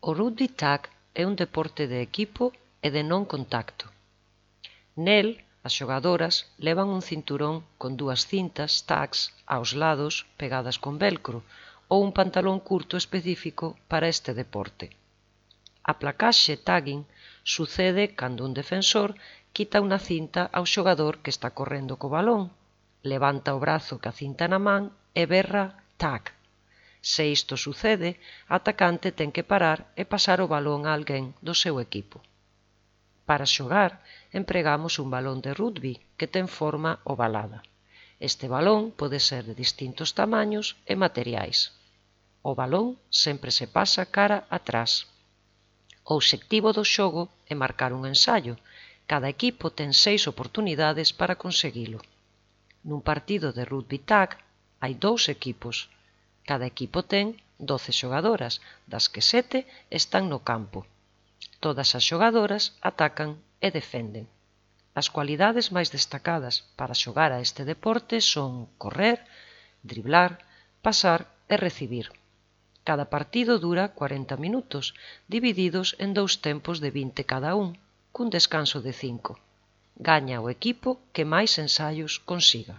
O rugby tag é un deporte de equipo e de non contacto. Nel, as xogadoras levan un cinturón con dúas cintas tags aos lados pegadas con velcro ou un pantalón curto específico para este deporte. A placaxe tagging sucede cando un defensor quita unha cinta ao xogador que está correndo co balón, levanta o brazo ca cinta na man e berra tag. Se isto sucede, a atacante ten que parar e pasar o balón a alguén do seu equipo. Para xogar, empregamos un balón de rugby que ten forma ovalada. Este balón pode ser de distintos tamaños e materiais. O balón sempre se pasa cara atrás. O obxectivo do xogo é marcar un ensaio. Cada equipo ten 6 oportunidades para conseguilo. Nun partido de rugby tag hai 2 equipos. Cada equipo ten 12 xogadoras, das que 7 están no campo. Todas as xogadoras atacan e defenden. As cualidades máis destacadas para xogar a este deporte son correr, driblar, pasar e recibir. Cada partido dura 40 minutos, divididos en 2 tempos de 20 cada un, cun descanso de 5. Gaña o equipo que máis ensaios consiga.